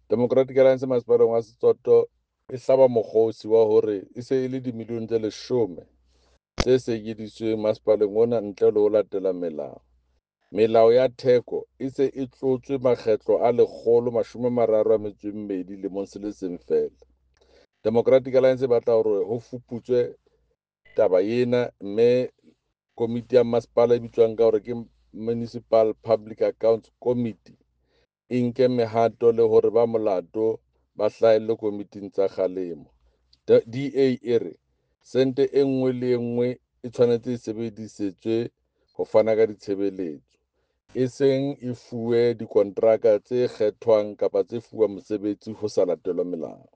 Democratic Alliance masepaleng wa Setsoto e hlaba mokgosi wa hore e se e le dimilione tse 10 tse sekeditsweng masepaleng ona ntle le ho latela melao. Melao ya theko e se e tlotswe makgetlo a 132 lemong se le seng feela. Democratic Alliance e batla hore ho fuputswe taba ena, mme komiti ya masepala e bitswang ka hore ke Municipal Public Accounts Committee e nke mehato le hore ba molato ba hlahelle komiting tsa kgalemo. DA e re sente e nngwe le e nngwe e tshwanetse e sebedisetswe ho fana ka ditshebeletso, e seng e fuwe dikontraka tse kgethwang kapa tse fuwang mosebetsi ho sa latelwa melao.